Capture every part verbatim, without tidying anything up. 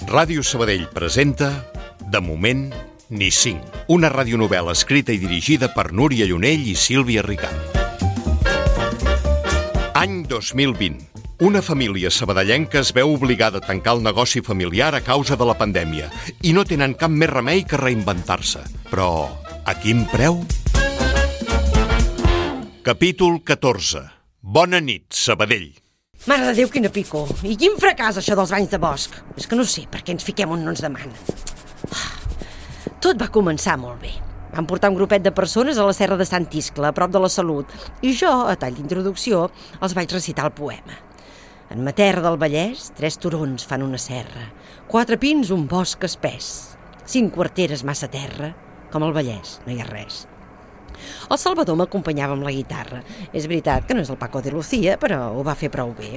Ràdio Sabadell presenta De moment, ni cinc. Una radionovel·la escrita i dirigida per Núria Llunell i Sílvia Ricart. Any dos mil vint. Una família sabadellenca es veu obligada a tancar el negoci familiar a causa de la pandèmia i no tenen cap més remei que reinventar-se. Però a quin preu? Capítol catorze. Bona nit, Sabadell. Mare de Déu, quina picor. I quin fracàs, això dels banys de bosc. És que no sé per què ens fiquem on no ens demanen. Tot va començar molt bé. Vam portar un grupet de persones a la serra de Sant Iscle, a prop de la Salut, i jo, a tall d'introducció, els vaig recitar el poema. En ma terra del Vallès, tres turons fan una serra, quatre pins, un bosc espès, cinc quarteres massa terra, com al Vallès no hi ha res. El Salvador m'acompanyava amb la guitarra. És veritat que no és el Paco de Lucía, però ho va fer prou bé.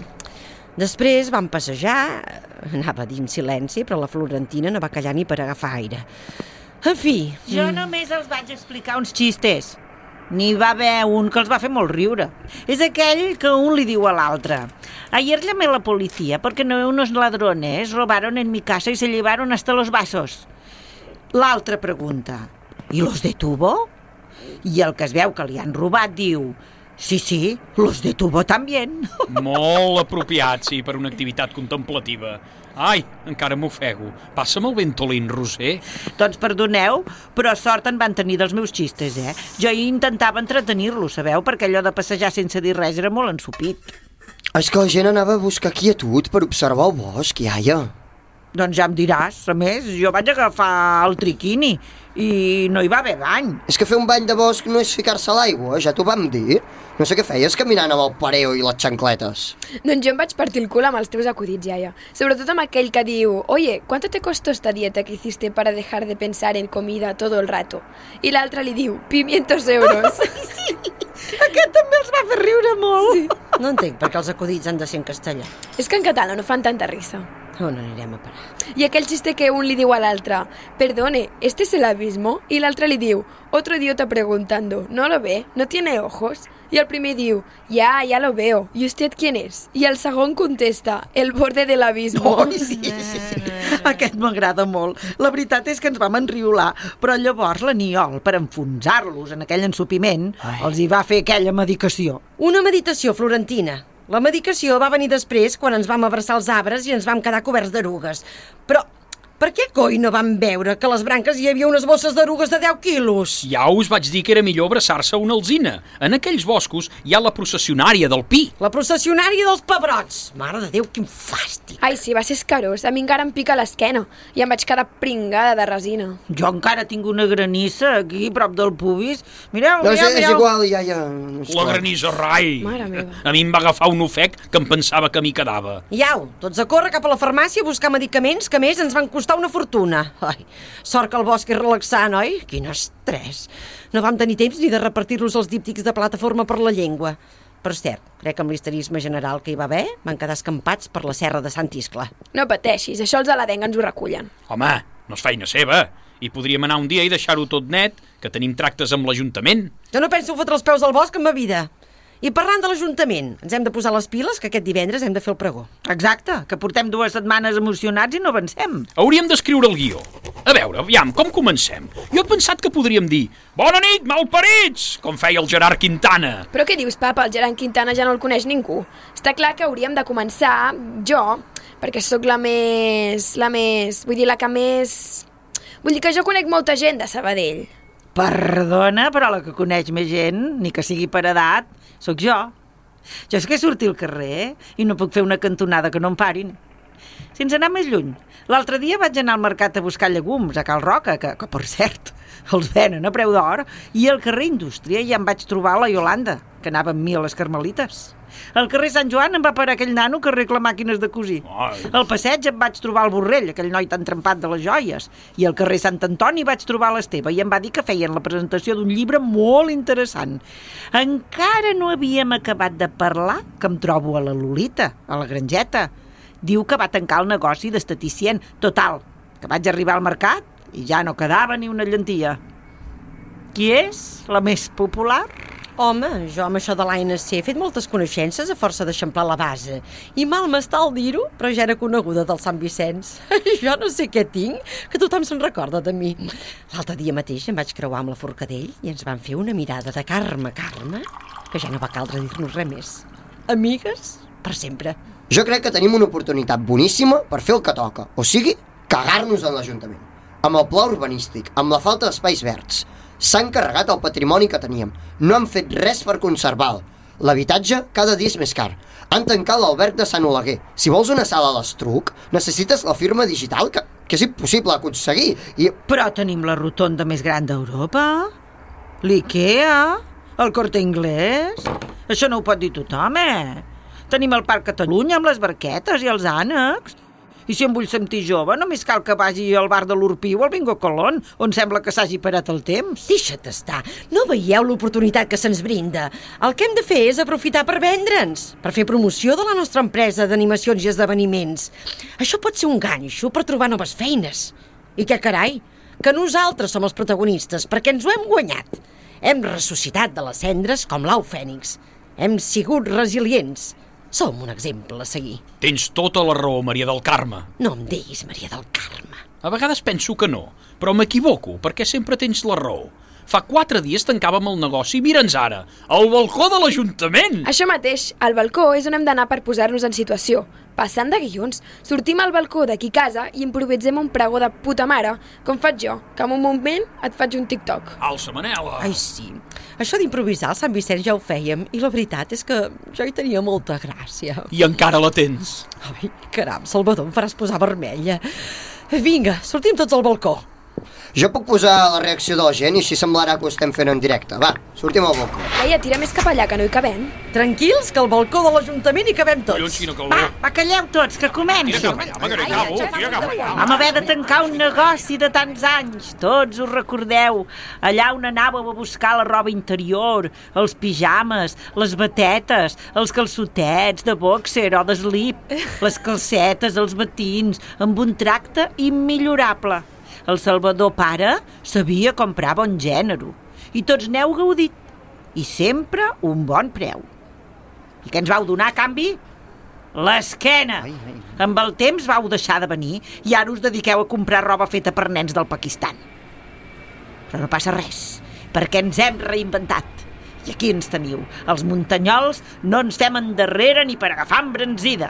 Després vam passejar, anava a dir en silenci, però la Florentina no va callar ni per agafar aire. En fi... Jo només els vaig explicar uns xistes. N'hi va haver un que els va fer molt riure. És aquell que un li diu a l'altre: ayer llamé a la policía porque no unos ladrones robaron en mi casa y se llevaron hasta los vasos. L'altre pregunta: ¿y los detuvo? I el que es veu que li han robat diu: sí, sí, los detuvo también. Molt apropiat, sí, per una activitat contemplativa. Ai, encara m'ofego. Passa'm el ventolín, Roser. Doncs perdoneu, però sort en van tenir dels meus xistes, eh? Jo intentava entretenir-los, sabeu? Perquè allò de passejar sense dir res era molt ensupit. És que la gent anava a buscar quietud per observar el bosc, iaia. Doncs ja em diràs. A més, jo vaig agafar el triquini i no hi va haver bany. És que fer un bany de bosc no és ficar-se a l'aigua, ja t'ho vam dir. No sé què feies caminant amb el pareo i les xancletes. Doncs jo em vaig partir el cul amb els teus acudits, iaia. Sobretot amb aquell que diu: oye, ¿cuánto te costó esta dieta que hiciste para dejar de pensar en comida todo el rato? I l'altre li diu: quinientos euros. Sí, aquest també els va fer riure molt. Sí. No entenc per què els acudits han de ser en castellà. És que en català no fan tanta risa. On anirem a parar? I aquell xiste que un li diu a l'altre: perdone, ¿este es el abismo? I l'altre li diu: otro idiota preguntando, ¿no lo ve? ¿No tiene ojos? I el primer diu: ya, ya lo veo. ¿Y usted quién es? I el segon contesta: el borde del abismo. Oh, sí, sí. Aquest m'agrada molt. La veritat és que ens vam enriolar, però llavors l'Aniol, per enfonsar-los en aquell ensupiment, Ai. els hi va fer aquella medicació. Una meditació, Florentina. La medicació va venir després, quan ens vam abraçar els arbres i ens vam quedar coberts d'erugues. Però per què coi no vam veure que a les branques hi havia unes bosses d'erugues de deu quilos? Ja us vaig dir que era millor abraçar-se a una alzina. En aquells boscos hi ha la processionària del pi. La processionària dels pebrots. Mare de Déu, quin fàstic. Ai, sí, va ser escarós. A mi encara em pica l'esquena i em vaig quedar pringada de resina. Jo encara tinc una granissa aquí, prop del pubis. Mireu, no, mireu, és, mireu. És igual, iaia. No és la clar. granissa, rai. Mare meva. A mi em va agafar un ofec que em pensava que m'hi quedava. Iau, tots a córrer cap a la farmàcia a buscar medicaments que, a més, ens van costar una fortuna. Ai, sort que el bosc és relaxant, oi? Quin estrès. No vam tenir temps ni de repartir-los els díptics de plataforma per la llengua. Per cert, crec que amb l'histerisme general que hi va haver van quedar escampats per la serra de Sant Iscle. No pateixis, això els aladencs ens ho recullen. Home, no és feina seva. I podríem anar un dia i deixar-ho tot net, que tenim tractes amb l'Ajuntament. Jo no penso fotre els peus al bosc en ma vida. I parlant de l'Ajuntament, ens hem de posar les piles, que aquest divendres hem de fer el pregó. Exacte, que portem dues setmanes emocionats i no avancem. Hauríem d'escriure el guió. A veure, aviam, com comencem? Jo he pensat que podríem dir: bona nit, malparits, com feia el Gerard Quintana. Però què dius, papa? El Gerard Quintana ja no el coneix ningú. Està clar que hauríem de començar, jo, perquè sóc la més... la més... vull dir, la que més... Vull dir que jo conec molta gent de Sabadell. Perdona, però la que coneix més gent, ni que sigui per edat, sóc jo. Jo és que surti al carrer i no puc fer una cantonada que no em parin. Sense anar més lluny, l'altre dia vaig anar al mercat a buscar llegums a Cal Roca, que, que per cert, els venen a preu d'or, i al carrer Indústria ja em vaig trobar la Iolanda, que anava amb mi a les Carmelites. Al carrer Sant Joan em va parar aquell nano que arregla màquines de cosir. Ai. Al passeig em vaig trobar el Borrell, aquell noi tan trempat de les joies. I al carrer Sant Antoni vaig trobar l'Esteve i em va dir que feien la presentació d'un llibre molt interessant. Encara no havíem acabat de parlar que em trobo a la Lolita, a la Grangeta. Diu que va tancar el negoci d'esteticient. Total, que vaig arribar al mercat i ja no quedava ni una llantilla. Qui és la més popular? Home, jo amb això de l'A N C he fet moltes coneixences a força d'eixamplar la base. I mal m'està el dir-ho, però ja era coneguda del Sant Vicenç. Jo no sé què tinc, que tothom se'n recorda de mi. L'altre dia mateix em vaig creuar amb la Forcadell i ens van fer una mirada de Carme, Carme, que ja no va caldre dir-nos res més. Amigues, per sempre. Jo crec que tenim una oportunitat boníssima per fer el que toca, o sigui, cagar-nos en l'Ajuntament. Amb el pla urbanístic, amb la falta d'espais verds. S'han carregat el patrimoni que teníem. No han fet res per conservar-lo. L'habitatge cada dia és més car. Han tancat l'alberg de Sant Oleguer. Si vols una sala a l'Estruc, necessites la firma digital, que, que és impossible aconseguir. I... Però tenim la rotonda més gran d'Europa, l'IKEA, el Corte Inglés. Això no ho pot dir tothom, eh? Tenim el Parc Catalunya amb les barquetes i els ànecs. I si em vull sentir jove, només cal que vagi al bar de l'Urpí o al Bingo Colón, on sembla que s'hagi parat el temps. Deixa't estar. No veieu l'oportunitat que se'ns brinda? El que hem de fer és aprofitar per vendre'ns, per fer promoció de la nostra empresa d'animacions i esdeveniments. Això pot ser un ganxo per trobar noves feines. I què carai? Que nosaltres som els protagonistes, perquè ens ho hem guanyat. Hem ressuscitat de les cendres com l'au fènix. Hem sigut resilients. Som un exemple a seguir. Tens tota la raó, Maria del Carme. No em diguis Maria del Carme. A vegades penso que no, però m'equivoco, perquè sempre tens la raó. Fa quatre dies tancàvem el negoci i mira'ns ara, al balcó de l'Ajuntament! Això mateix, al balcó és on hem d'anar per posar-nos en situació. Passant de guions, sortim al balcó d'aquí casa i improvisem un pregó de puta mare, com faig jo, que en un moment et faig un TikTok. Alça, Manela! Ai, sí. Això d'improvisar al Sant Vicenç ja ho fèiem, i la veritat és que jo hi tenia molta gràcia. I encara la tens. Ai, caram, Salvador, em faràs posar vermella. Vinga, sortim tots al balcó. Jo puc posar la reacció de la gent i així semblarà que ho estem fent en directe. Va, sortim al balcó. Laia, tira més cap allà, que no hi cabem. Tranquils, que al balcó de l'Ajuntament hi cabem tots. Collons, quina calor. Va, va, calleu tots, que comenci. Tira cap allà, home, que no hi cabo. Tira cap allà. Vam haver de tancar un negoci de tants anys. Tots us recordeu. Allà on anàveu a buscar la roba interior, els pijames, les batetes, els calçotets de boxer o de slip, les calcetes, els batins, amb un tracte immillorable. El Salvador pare sabia comprar bon gènere i tots n'heu gaudit. I sempre un bon preu. I què ens vau donar a canvi? L'esquena. Amb el temps vau deixar de venir i ara us dediqueu a comprar roba feta per nens del Pakistan. Però no passa res, perquè ens hem reinventat. I aquí ens teniu. Els muntanyols no ens fem endarrere ni per agafar embranzida.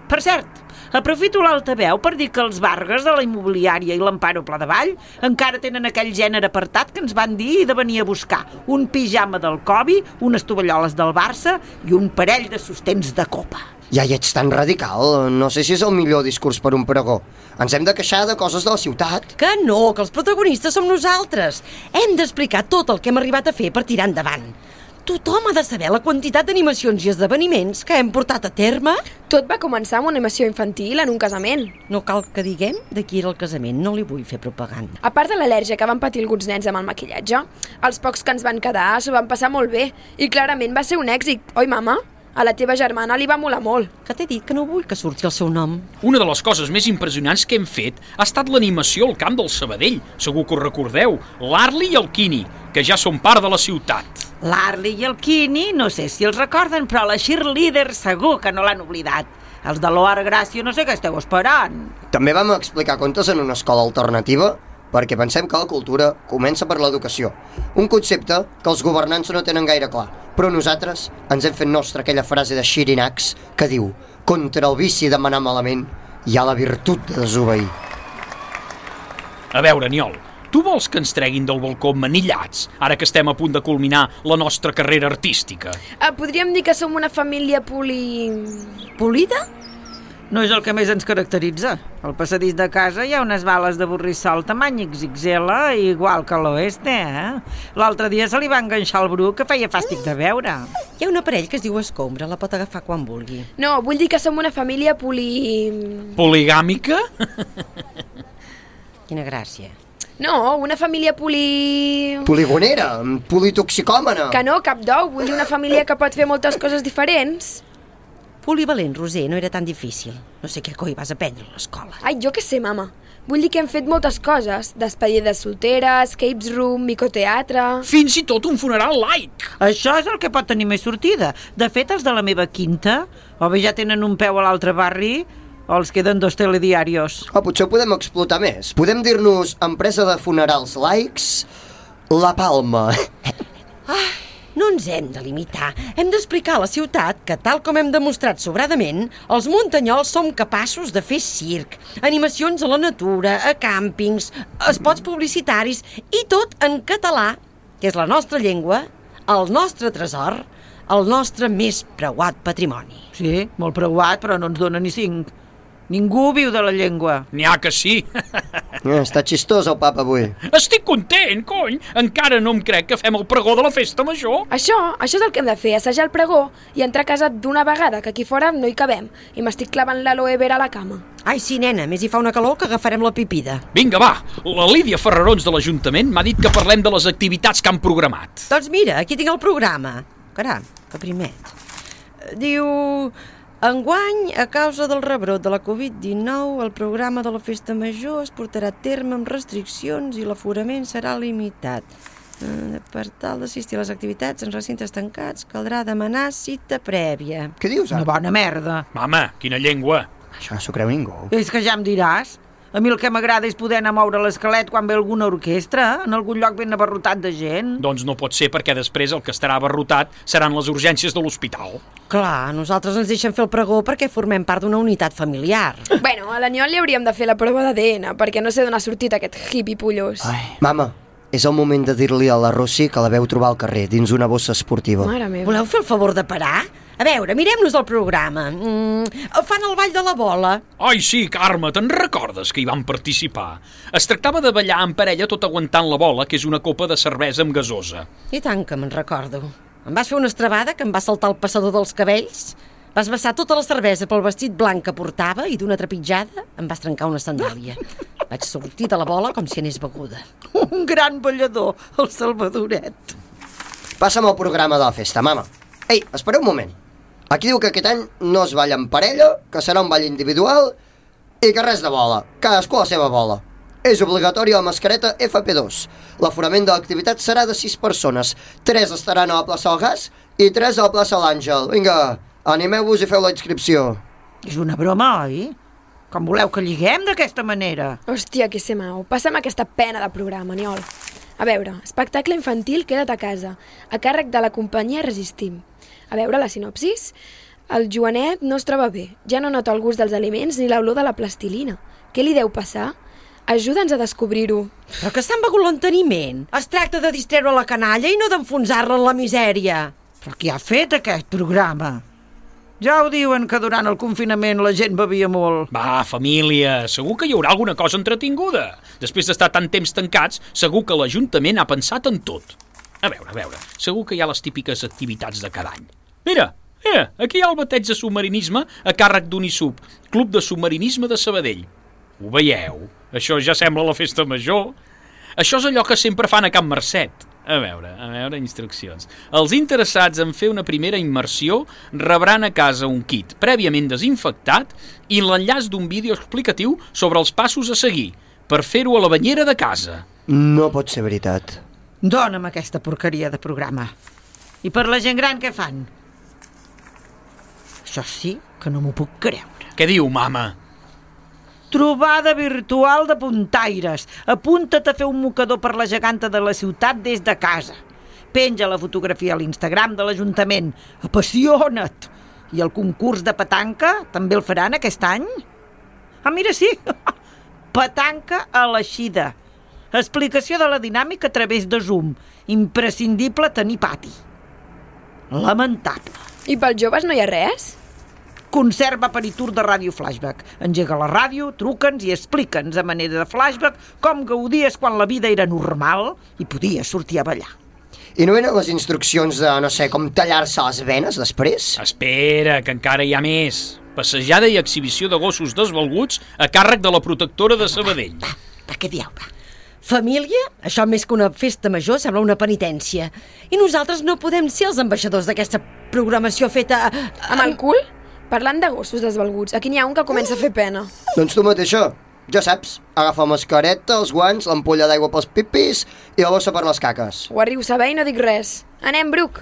Per cert, aprofito l'altaveu per dir que els Vargas de la immobiliària i l'Amparo Pladevall encara tenen aquell gènere apartat que ens van dir de venir a buscar un pijama del Covi, unes tovalloles del Barça i un parell de sostens de copa. Ja hi ets tan radical. No sé si és el millor discurs per un pregó. Ens hem de queixar de coses de la ciutat. Que no, que els protagonistes som nosaltres. Hem d'explicar tot el que hem arribat a fer per tirar endavant. Tothom ha de saber la quantitat d'animacions i esdeveniments que hem portat a terme. Tot va començar amb una animació infantil en un casament. No cal que diguem de qui era el casament, no li vull fer propaganda. A part de l'al·lèrgia que van patir alguns nens amb el maquillatge, els pocs que ens van quedar s'ho van passar molt bé i clarament va ser un èxit, oi mama? A la teva germana li va molar molt. Que t'he dit que no vull que surti el seu nom. Una de les coses més impressionants que hem fet ha estat l'animació al camp del Sabadell. Segur que ho recordeu, l'Arli i el Quini, que ja són part de la ciutat. L'Arli i el Quini, no sé si els recorden, però la cheerleader segur que no l'han oblidat. Els de l'Oar Gràcia no sé què esteu esperant. També vam explicar contes en una escola alternativa perquè pensem que la cultura comença per l'educació. Un concepte que els governants no tenen gaire clar, però nosaltres ens hem fet nostra aquella frase de Xirinacs que diu: contra el vici de manar malament hi ha la virtut de desobeir. A veure, Niol, tu vols que ens treguin del balcó manillats, ara que estem a punt de culminar la nostra carrera artística? Ah, podríem dir que som una família poli... Polida? No és el que més ens caracteritza. Al passadís de casa hi ha unes bales de borrissol tamany ics ics ele, igual que a l'oeste, eh? L'altre dia se li va enganxar el Bru, que feia fàstic de veure. Hi ha un aparell que es diu escombra, la pot agafar quan vulgui. No, vull dir que som una família poli... Poligàmica? Quina gràcia. No, una família poli... Poligonera, politoxicòmana. Que no, cap d'ou. Vull dir una família que pot fer moltes coses diferents. Polivalent, Roser, no era tan difícil. No sé què coi vas aprendre a l'escola. Ai, jo què sé, mama. Vull dir que hem fet moltes coses. Despedides solteres, escapes room, micoteatre... Fins i tot un funeral laic. Això és el que pot tenir més sortida. De fet, els de la meva quinta, o bé ja tenen un peu a l'altre barri, o els queden dos telediarios. O potser ho podem explotar més. Podem dir-nos empresa de funerals laics La Palma. Ah, no ens hem de limitar. Hem d'explicar a la ciutat que, tal com hem demostrat sobradament, els muntanyols som capaços de fer circ, animacions a la natura, a càmpings, espots publicitaris, i tot en català, que és la nostra llengua, el nostre tresor, el nostre més preuat patrimoni. Sí, molt preuat, però no ens dona ni cinc. Ningú viu de la llengua. N'hi ha que sí. Eh, està xistós el papa avui. Estic content, cony. Encara no em crec que fem el pregó de la festa major. Això, això és el que hem de fer, assajar el pregó i entrar a casa d'una vegada, que aquí fora no hi cabem, i m'estic clavant l'aloe vera a la cama. Ai, sí, nena, més hi fa una calor que agafarem la pipida. Vinga, va. La Lídia Ferrarons de l'Ajuntament m'ha dit que parlem de les activitats que han programat. Doncs mira, aquí tinc el programa. Caram, que primet. Diu... Enguany, a causa del rebrot de la covid dinou, el programa de la festa major es portarà a terme amb restriccions i l'aforament serà limitat. Per tal d'assistir a les activitats en recintes tancats, caldrà demanar cita prèvia. Què dius, Una ara? bona merda. Mama, quina llengua. Això no s'ho creu ningú. És que ja em diràs. A mi el que m'agrada és poder anar a moure l'esquelet quan ve alguna orquestra, en algun lloc ben abarrotat de gent. Doncs no pot ser, perquè després el que estarà abarrotat seran les urgències de l'hospital. Clar, nosaltres ens deixen fer el pregó perquè formem part d'una unitat familiar. Bueno, a l'Aniol li hauríem de fer la prova d'A D N, perquè no sé d'on ha sortit aquest hippie pollós. Ai. Mama, és el moment de dir-li a la Rossi que la veu trobar al carrer, dins una bossa esportiva. Mare meva. Voleu fer el favor de parar? A veure, mirem-nos el programa. Mm, fan el ball de la bola. Ai, sí, Carme, te'n recordes que hi vam participar? Es tractava de ballar en parella tot aguantant la bola, que és una copa de cervesa amb gasosa. I tant que me'n recordo. Em vas fer una estrabada que em va saltar el passador dels cabells, vas vessar tota la cervesa pel vestit blanc que portava i d'una trepitjada em vas trencar una sandàlia. Vaig sortir de la bola com si anés beguda. Un gran ballador, el Salvadoret. Passa'm el programa de la festa, mama. Ei, espera un moment. Aquí diu que aquest any no es balla en parella, que serà un ball individual i que res de bola, cadascú a la seva bola. És obligatori la mascareta F P dos. L'aforament de l'activitat serà de sis persones. Tres estaran a la plaça del Gas i tres a la plaça l'Àngel. Vinga, animeu-vos i feu la inscripció. És una broma, oi? Com voleu que lliguem d'aquesta manera? Hòstia, que se mau. Passa'm aquesta pena de programa, Aniol. A veure, espectacle infantil Queda't a casa, a càrrec de la companyia Resistim. A veure la sinopsis. El Joanet no es troba bé. Ja no nota el gust dels aliments ni l'olor de la plastilina. Què li deu passar? Ajuda'ns a descobrir-ho. Però que s'han begut l'enteniment. Es tracta de distreure la canalla i no d'enfonsar-la en la misèria. Però qui ha fet aquest programa? Ja ho diuen que durant el confinament la gent bevia molt. Va, família, segur que hi haurà alguna cosa entretinguda. Després d'estar tant temps tancats, segur que l'Ajuntament ha pensat en tot. A veure, a veure, segur que hi ha les típiques activitats de cada any. Mira, mira, aquí hi ha el bateig de submarinisme a càrrec d'Unisub, Club de Submarinisme de Sabadell. Ho veieu? Això ja sembla la festa major. Això és allò que sempre fan a Can Marcet. A veure, a veure, instruccions. Els interessats en fer una primera immersió rebran a casa un kit prèviament desinfectat i l'enllaç d'un vídeo explicatiu sobre els passos a seguir per fer-ho a la banyera de casa. No pot ser veritat. Dóna'm aquesta porqueria de programa. I per la gent gran què fan? Això sí que no m'ho puc creure. Què diu, mama? Trobada virtual de puntaires. Apunta't a fer un mocador per la geganta de la ciutat des de casa. Penja la fotografia a l'Instagram de l'Ajuntament. Apassiona't! I el concurs de petanca també el faran aquest any? Ah, mira, sí! Petanca a l'eixida. Explicació de la dinàmica a través de Zoom. Imprescindible tenir pati. Lamentable. I pels joves no hi ha res? Concert aperitur de ràdio flashback. Engega la ràdio, truca'ns i explica'ns a manera de flashback com gaudies quan la vida era normal i podies sortir a ballar. I no venen les instruccions de, no sé, com tallar-se les venes després? Espera, que encara hi ha més. Passejada i exhibició de gossos desvalguts a càrrec de la protectora de Sabadell. Va, va, va, què dieu, va? Família? Això més que una festa major sembla una penitència. I nosaltres no podem ser els ambaixadors d'aquesta programació feta... Amb el cul? Parlant de gossos desvalguts, aquí n'hi ha un que comença a fer pena. Doncs tu mateixa, ja saps, agafa la mascareta, els guants, l'ampolla d'aigua pels pipis i la bossa per les caques. Ho arribo a saber i no dic res. Anem, Bruc!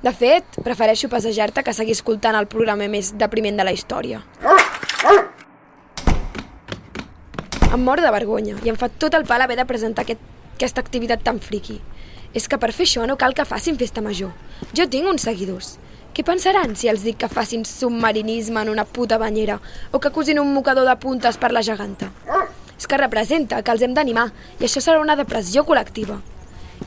De fet, prefereixo passejar-te que seguir escoltant el programa més depriment de la història. Em mor de vergonya i em fa tot el pal haver de presentar aquest, aquesta activitat tan friqui. És que per fer això no cal que facin festa major. Jo tinc uns seguidors. Què pensaran si els dic que facin submarinisme en una puta banyera o que cosin un mocador de puntes per la geganta? És que representa que els hem d'animar i això serà una depressió col·lectiva.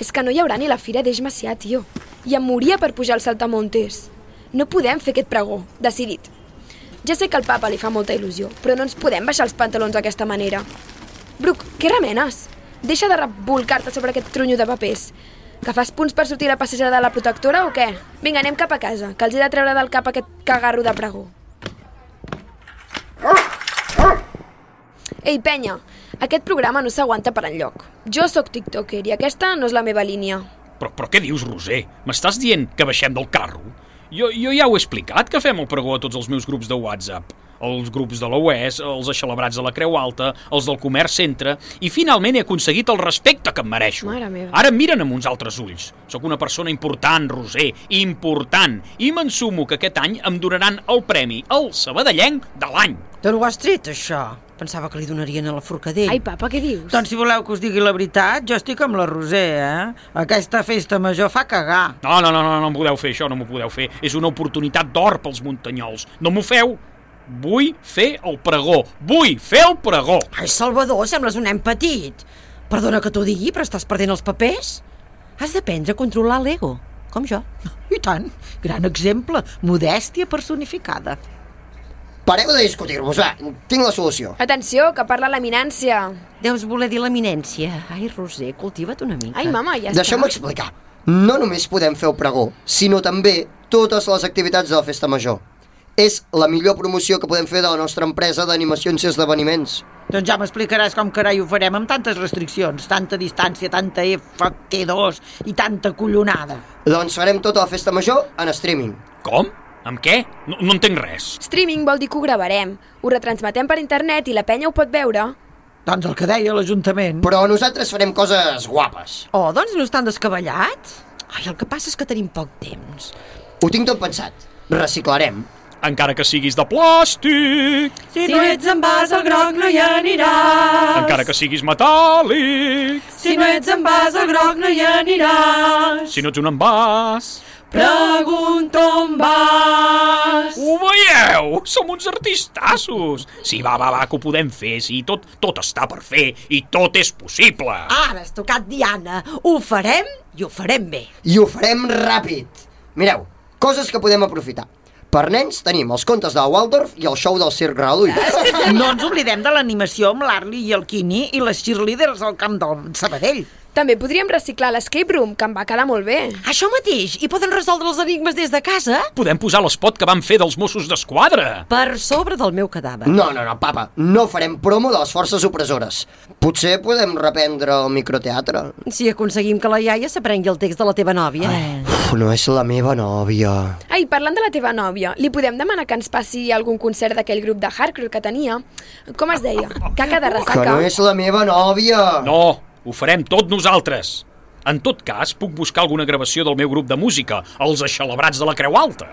És que no hi haurà ni la fira d'Eix Macià, tio. I em moria per pujar al saltamontes. No podem fer aquest pregó, decidit. Ja sé que al papa li fa molta il·lusió, però no ens podem baixar els pantalons d'aquesta manera. Bruc, què remenes? Deixa de revolcar-te sobre aquest trunyo de papers. Que fas punts per sortir a la passejada de la protectora o què? Vinga, anem cap a casa, que els he de treure del cap aquest cagarro de pregó. Ei, penya, aquest programa no s'aguanta per enlloc. Jo sóc tiktoker i aquesta no és la meva línia. Però, però què dius, Roser? M'estàs dient que baixem del carro? Jo, jo ja ho he explicat, que fem el pregó a tots els meus grups de WhatsApp. Els grups de l'O E S, els aixelebrats de la Creu Alta, els del Comerç Centre, i finalment he aconseguit el respecte que em mereixo. Mare meva. Ara em miren amb uns altres ulls. Sóc una persona important, Roser, important, i m'ensumo que aquest any em donaran el premi, el sabadellenc de l'any. D'on ho has tret, això? Pensava que li donarien a la Forcadell. Ai, papa, què dius? Doncs si voleu que us digui la veritat, jo estic amb la Roser, eh? Aquesta festa major fa cagar. No, no, no, no, no em podeu fer això, no m'ho podeu fer. És una oportunitat d'or pels muntanyols. No m'ho feu. Vull fer el pregó. Vull fer el pregó. Ai, Salvador, sembles un nen petit. Perdona que t'ho digui, però estàs perdent els papers. Has d'aprendre a controlar l'ego, com jo. I tant, gran exemple, modèstia personificada. Pareu de discutir-vos, va, tinc la solució. Atenció, que parla l'eminència. Deus voler dir l'eminència. Ai, Roser, cultiva't una mica. Ai, mama, ja està. Deixeu-me explicar. No només podem fer el pregó, sinó també totes les activitats de la festa major. És la millor promoció que podem fer de la nostra empresa d'animacions i esdeveniments. Doncs ja m'explicaràs com carai ho farem amb tantes restriccions, tanta distància, tanta F T dos i tanta collonada. Doncs farem tota la festa major en streaming. Com? Amb què? No, no entenc res. Streaming vol dir que ho gravarem. Ho retransmetem per internet i la penya ho pot veure. Doncs el que deia l'Ajuntament. Però nosaltres farem coses guapes. Oh, doncs no estan descabellat? Ai, el que passa és que tenim poc temps. Ho tinc tot pensat. Reciclarem. Encara que siguis de plàstic. Si no ets envàs, el groc no hi aniràs. Encara que siguis metàl·lic. Si no ets envàs, el groc no hi aniràs. Si no ets un envàs. Pregunto on vas. Ho veieu? Som uns artistassos. Sí, va, va, va, que ho podem fer. Sí, tot, tot està per fer i tot és possible. Ara has tocat Diana. Ho farem i ho farem bé. I ho farem ràpid. Mireu, coses que podem aprofitar. Per nens tenim els contes de Waldorf i el show del Circ Gratuït. No ens oblidem de l'animació amb l'Arli i el Quini i les cheerleaders al camp del Sabadell. També podríem reciclar l'escape room, que em va quedar molt bé. Això mateix, i poden resoldre els enigmes des de casa? Podem posar l'espot que van fer dels Mossos d'Esquadra. Per sobre del meu cadàver. No, no, no, papa, no farem promo de les forces opressores. Potser podem reprendre el microteatre. Si aconseguim que la iaia s'aprengui el text de la teva nòvia. Uf, no és la meva nòvia. Ai, parlant de la teva nòvia, li podem demanar que ens passi algun concert d'aquell grup de hardcore que tenia? Com es deia? Caca de Que ressaca? no és la meva nòvia. No, ho farem tot nosaltres. En tot cas, puc buscar alguna gravació del meu grup de música, els Aixelebrats de la Creu Alta.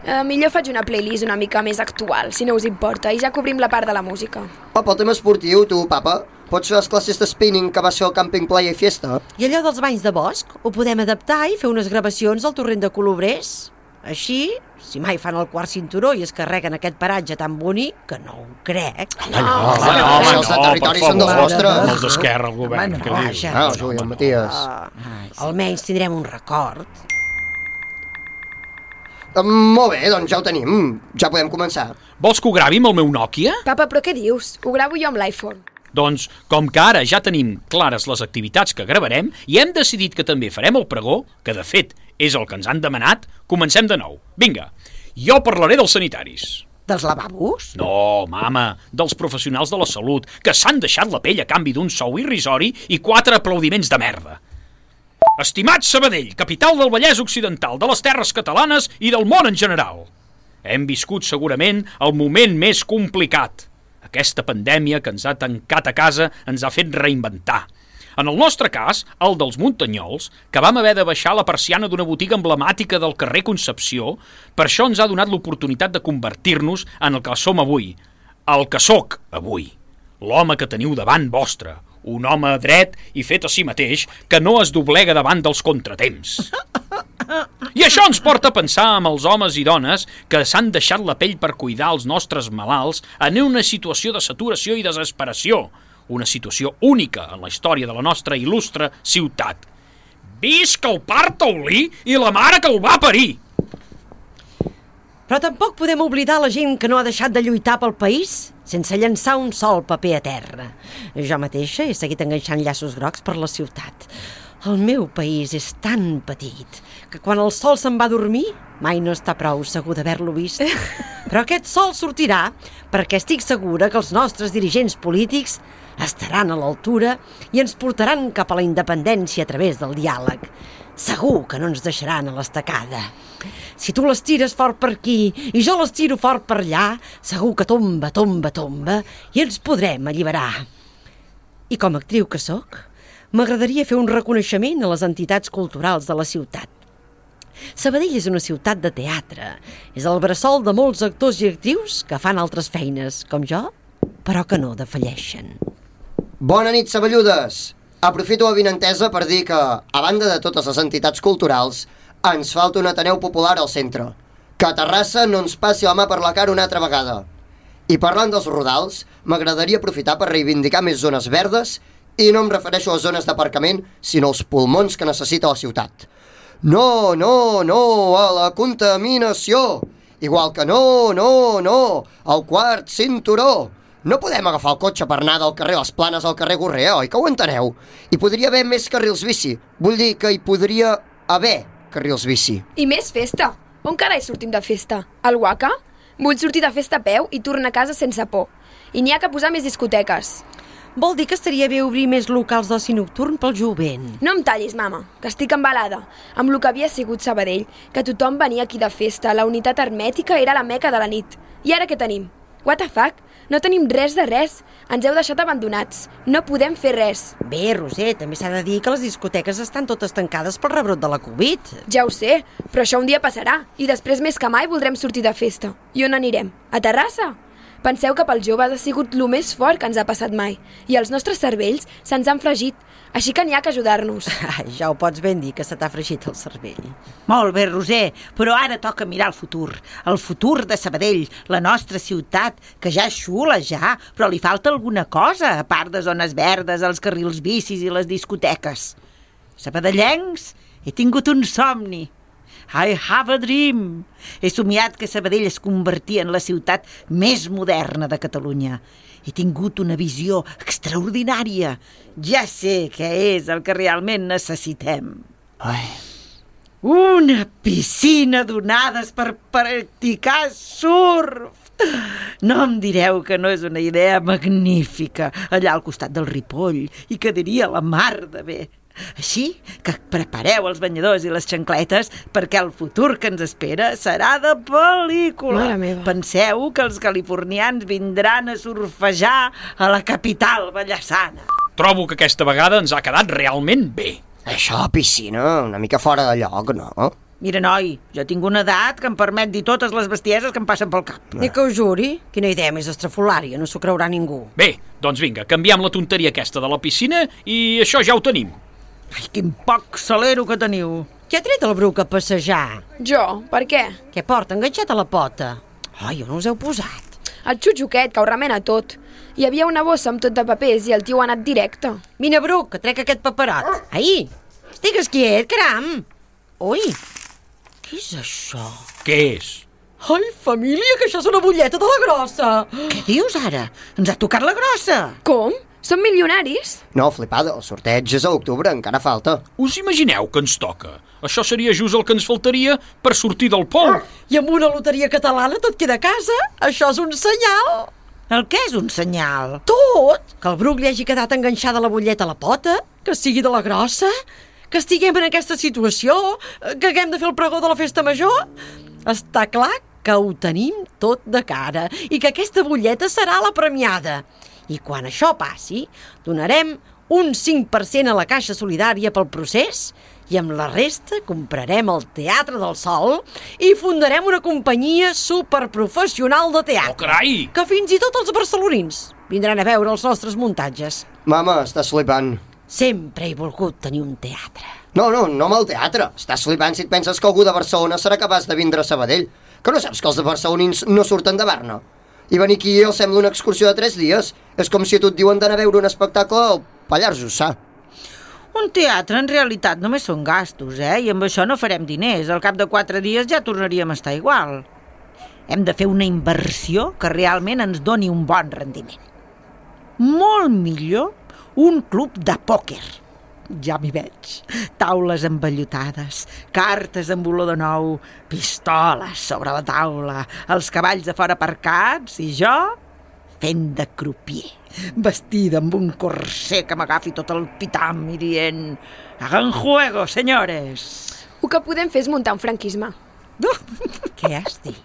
Uh, millor faig una playlist una mica més actual, si no us importa, i ja cobrim la part de la música. Papa, el tema esportiu, tu, papa. Pots fer les classes de spinning que vas fer al càmping Playa i Fiesta? I allò dels banys de bosc ho podem adaptar i fer unes gravacions al torrent de Colobrers. Així, si mai fan el quart cinturó i es carreguen aquest paratge tan bonic, que no ho crec. No, no, Ah, home, no, home, els de territori són dels nostres. Els d'Esquerra, el govern. Home, no, què dius? Ah, el Juli, el Matías. Ah, almenys tindrem un record. Um, molt bé, doncs ja ho tenim. Ja podem començar. Vols que ho gravi amb el meu Nokia? Papa, però què dius? Ho gravo jo amb l'iPhone. Doncs, com que ara ja tenim clares les activitats que gravarem i hem decidit que també farem el pregó, que de fet és el que ens han demanat, comencem de nou. Vinga, jo parlaré dels sanitaris. Dels lavabos? No, mama, dels professionals de la salut, que s'han deixat la pell a canvi d'un sou irrisori i quatre aplaudiments de merda. Estimat Sabadell, capital del Vallès Occidental, de les terres catalanes i del món en general. Hem viscut segurament el moment més complicat. Aquesta pandèmia que ens ha tancat a casa ens ha fet reinventar. En el nostre cas, el dels Muntanyols, que vam haver de baixar la persiana d'una botiga emblemàtica del carrer Concepció, per això ens ha donat l'oportunitat de convertir-nos en el que som avui, el que sóc avui. L'home que teniu davant vostre, un home dret i fet a si mateix que no es doblega davant dels contratemps. I això ens porta a pensar amb els homes i dones que s'han deixat la pell per cuidar els nostres malalts en una situació de saturació i desesperació, una situació única en la història de la nostra il·lustre ciutat. Visca el part taulí i la mare que el va parir! Però tampoc podem oblidar la gent que no ha deixat de lluitar pel país sense llançar un sol paper a terra. Jo mateixa he seguit enganxant llaços grocs per la ciutat. El meu país és tan petit que quan el sol se'n va a dormir mai no està prou segur d'haver-lo vist. Però aquest sol sortirà perquè estic segura que els nostres dirigents polítics estaran a l'altura i ens portaran cap a la independència a través del diàleg. Segur que no ens deixaran a l'estacada. Si tu les tires fort per aquí i jo les tiro fort per allà, segur que tomba, tomba, tomba i ens podrem alliberar. I com a actriu que sóc, m'agradaria fer un reconeixement a les entitats culturals de la ciutat. Sabadell és una ciutat de teatre. És el bressol de molts actors i actrius que fan altres feines, com jo, però que no defalleixen. Bona nit, saballudes! Aprofito l'avinentesa per dir que, a banda de totes les entitats culturals, ens falta un Ateneu Popular al centre. Que a Terrassa no ens passi la mà per la cara una altra vegada. I parlant dels rodals, m'agradaria aprofitar per reivindicar més zones verdes i no em refereixo a zones d'aparcament, sinó als pulmons que necessita la ciutat. No, no, no a la contaminació! Igual que no, no, no al quart cinturó! No podem agafar el cotxe per anar del carrer Les Planes al carrer Gorrea, oi que ho enteneu? Hi podria haver més carrils bici. Vull dir que hi podria haver carrils bici. I més festa. On carai sortim de festa? Al Waka? Vull sortir de festa a peu i tornar a casa sense por. I n'hi ha que posar més discoteques. Vol dir que estaria bé obrir més locals d'oci nocturn pel jovent. No em tallis, mama, que estic embalada. Amb el que havia sigut Sabadell, que tothom venia aquí de festa, la unitat hermètica era la meca de la nit. I ara què tenim? What the fuck? No tenim res de res. Ens heu deixat abandonats. No podem fer res. Bé, Roser, també s'ha de dir que les discoteques estan totes tancades pel rebrot de la Covid. Ja ho sé, però això un dia passarà. I després més que mai voldrem sortir de festa. I on anirem? A Terrassa? Penseu que pels joves ha sigut el més fort que ens ha passat mai. I els nostres cervells se'ns han fregit. Així que n'hi ha que ajudar-nos. Ja ho pots ben dir, que se t'ha fregit el cervell. Molt bé, Roser, però ara toca mirar el futur. El futur de Sabadell, la nostra ciutat, que ja és xula, ja, però li falta alguna cosa, a part de zones verdes, els carrils bicis i les discoteques. Sabadellencs, he tingut un somni. I have a dream. He somiat que Sabadell es convertia en la ciutat més moderna de Catalunya. He tingut una visió extraordinària. Ja sé què és el que realment necessitem. Ai. Una piscina d'onades per practicar surf. No em direu que no és una idea magnífica, allà al costat del Ripoll, i quedaria la mar de bé. Així que prepareu els banyadors i les xancletes perquè el futur que ens espera serà de pel·lícula. Mare meva. Penseu que els californians vindran a surfejar a la capital ballassana. Trobo que aquesta vegada ens ha quedat realment bé. Això a la piscina, una mica fora de lloc, no? Mira, noi, jo tinc una edat que em permet dir totes les bestieses que em passen pel cap. Ni que ho juri? Quina idea més estrafolària, no s'ho creurà ningú. Bé, doncs vinga, canviem la tonteria aquesta de la piscina i això ja ho tenim. Ai, quin poc salero que teniu. Qui ha tret el Bruc a passejar? Jo? Per què? Què porta, enganxat a la pota? Ai, on us heu posat? El xutxuquet, que ho remena tot. Hi havia una bossa amb tot de papers i el tio ha anat directe. Vine, Bruc, que trec aquest paperot. Ai, estigues quiet, caram. Ui, què és això? Què és? Ai, família, que això és una butlleta de la grossa. Què dius ara? Ens ha tocat la grossa. Com? Som milionaris? No, flipada, el sorteig és a l'octubre, encara falta. Us imagineu que ens toca? Això seria just el que ens faltaria per sortir del pou. I amb una loteria catalana tot queda a casa? Això és un senyal. El què és un senyal? Tot! Que el Bruc li hagi quedat enganxada la butlleta a la pota, que sigui de la grossa, que estiguem en aquesta situació, que haguem de fer el pregó de la festa major. Està clar que ho tenim tot de cara i que aquesta butlleta serà la premiada. I quan això passi, donarem un cinc per cent a la Caixa Solidària pel procés i amb la resta comprarem el Teatre del Sol i fundarem una companyia superprofessional de teatre. Oh, carai! Que fins i tot els barcelonins vindran a veure els nostres muntatges. Mama, estàs flipant. Sempre he volgut tenir un teatre. No, no, no amb el teatre. Estàs flipant si et penses que algú de Barcelona serà capaç de vindre a Sabadell. Que no saps que els de barcelonins no surten de Berna? I venir aquí els sembla una excursió de tres dies. És com si a tu et diuen d'anar a veure un espectacle al Pallars Jussà. Un teatre en realitat només són gastos, eh? I amb això no farem diners. Al cap de quatre dies ja tornaríem a estar igual. Hem de fer una inversió que realment ens doni un bon rendiment. Molt millor un club de pòquer. Ja m'hi veig. Taules embellotades, cartes amb olor de nou, pistoles sobre la taula, els cavalls de fora aparcats i jo fent de crupier, vestida amb un corsé que m'agafi tot el pitam i dient «Hagan juego, senyores!» El que podem fer és muntar un franquisme. Què has dit?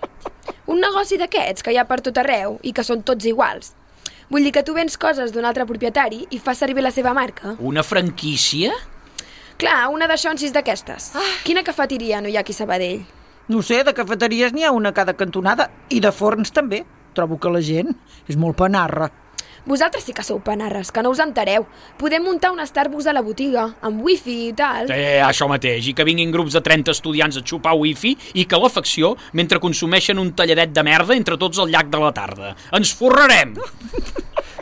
Un negoci d'aquests que hi ha per tot arreu i que són tots iguals. Vull dir que tu vens coses d'un altre propietari i fas servir la seva marca. Una franquícia? Clar, una de xonsis d'aquestes. Ah. Quina cafeteria no hi ha aquí a Sabadell? No sé, de cafeteries n'hi ha una a cada cantonada i de forns també. Trobo que la gent és molt panarra. Vosaltres sí que sou panarres, que no us entereu. Podem muntar un Starbucks a la botiga, amb wifi i tal. Eh, això mateix, i que vinguin grups de trenta estudiants a xupar wifi i calefacció mentre consumeixen un talladet de merda entre tots al llac de la tarda. Ens forrarem!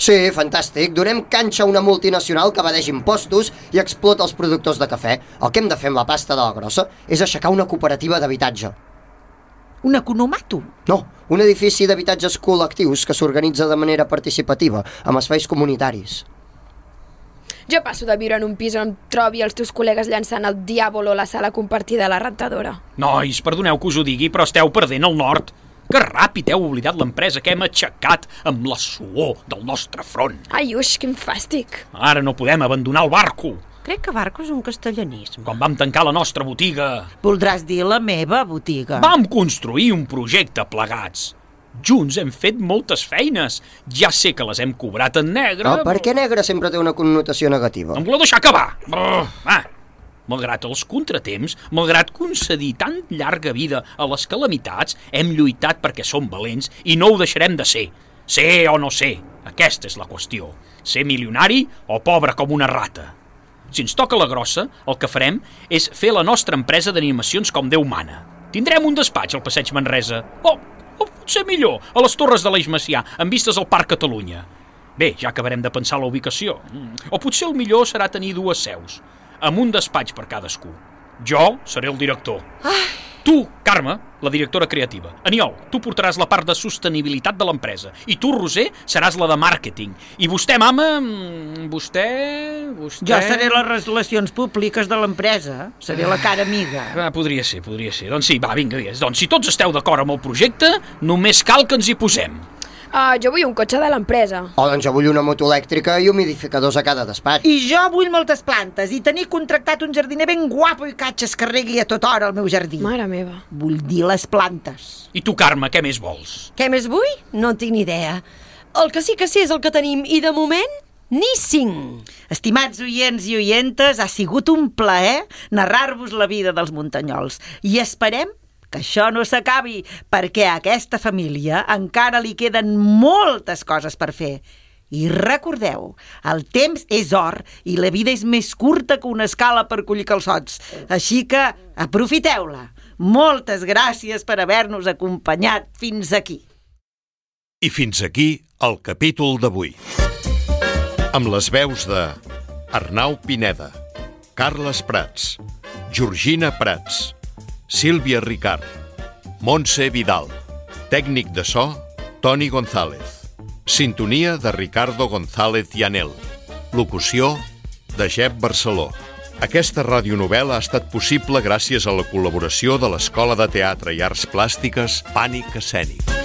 Sí, fantàstic. Donem canxa a una multinacional que evadeix impostos i explota els productors de cafè. El que hem de fer amb la pasta de la grossa és aixecar una cooperativa d'habitatge. Un economato? No, un edifici d'habitatges col·lectius que s'organitza de manera participativa, amb espais comunitaris. Jo passo de viure en un pis on trobi els teus col·legues llançant el diàbolo a la sala compartida de la rentadora. Nois, perdoneu que us ho digui, però esteu perdent el nord. Que ràpid heu oblidat l'empresa que hem aixecat amb la suor del nostre front. Ai, uix, quin fàstic. Ara no podem abandonar el barco. Crec que barco és un castellanisme. Quan vam tancar la nostra botiga... Voldràs dir la meva botiga. Vam construir un projecte plegats. Junts hem fet moltes feines. Ja sé que les hem cobrat en negre... Però per què negre sempre té una connotació negativa? Em voleu deixar acabar? Oh, ah. Malgrat els contratemps, malgrat concedir tan llarga vida a les calamitats, hem lluitat perquè som valents i no ho deixarem de ser. Ser o no ser, aquesta és la qüestió. Ser milionari o pobre com una rata. Si ens toca la grossa, el que farem és fer la nostra empresa d'animacions com Déu mana. Tindrem un despatx al Passeig Manresa. O, o potser millor, a les Torres de l'Eix Macià, amb vistes al Parc Catalunya. Bé, ja acabarem de pensar la ubicació. O potser el millor serà tenir dues seus, amb un despatx per cadascú. Jo seré el director. Ai. Tu, Carme, la directora creativa. Aniol, tu portaràs la part de sostenibilitat de l'empresa. I tu, Roser, seràs la de màrqueting. I vostè, mama, vostè... vostè... Jo seré les relacions públiques de l'empresa. Seré la cara amiga. Ah, podria ser, podria ser. Doncs sí, va, vinga, vinga. Doncs si tots esteu d'acord amb el projecte, només cal que ens hi posem. Uh, jo vull un cotxe de l'empresa. Oh, doncs jo vull una moto elèctrica i humidificadors a cada despatx. I jo vull moltes plantes i tenir contractat un jardiner ben guapo i catxes que regui a tota hora al meu jardí. Mare meva. Vull dir les plantes. I tu, Carme, què més vols? Què més vull? No en tinc ni idea. El que sí que sé és el que tenim i de moment ni cinc. Estimats oients i oientes, ha sigut un plaer narrar-vos la vida dels muntanyols i esperem que això no s'acabi, perquè a aquesta família encara li queden moltes coses per fer. I recordeu, el temps és or i la vida és més curta que una escala per collir calçots. Així que aprofiteu-la. Moltes gràcies per haver-nos acompanyat fins aquí. I fins aquí el capítol d'avui. Amb les veus de Arnau Pineda, Carles Prats, Georgina Prats, Sílvia Ricard, Montse Vidal, tècnic de so, Toni González, sintonia de Ricardo González Llanel, locució de Jep Barceló. Aquesta radionovel·la ha estat possible gràcies a la col·laboració de l'Escola de Teatre i Arts Plàstiques Pànic Escènic.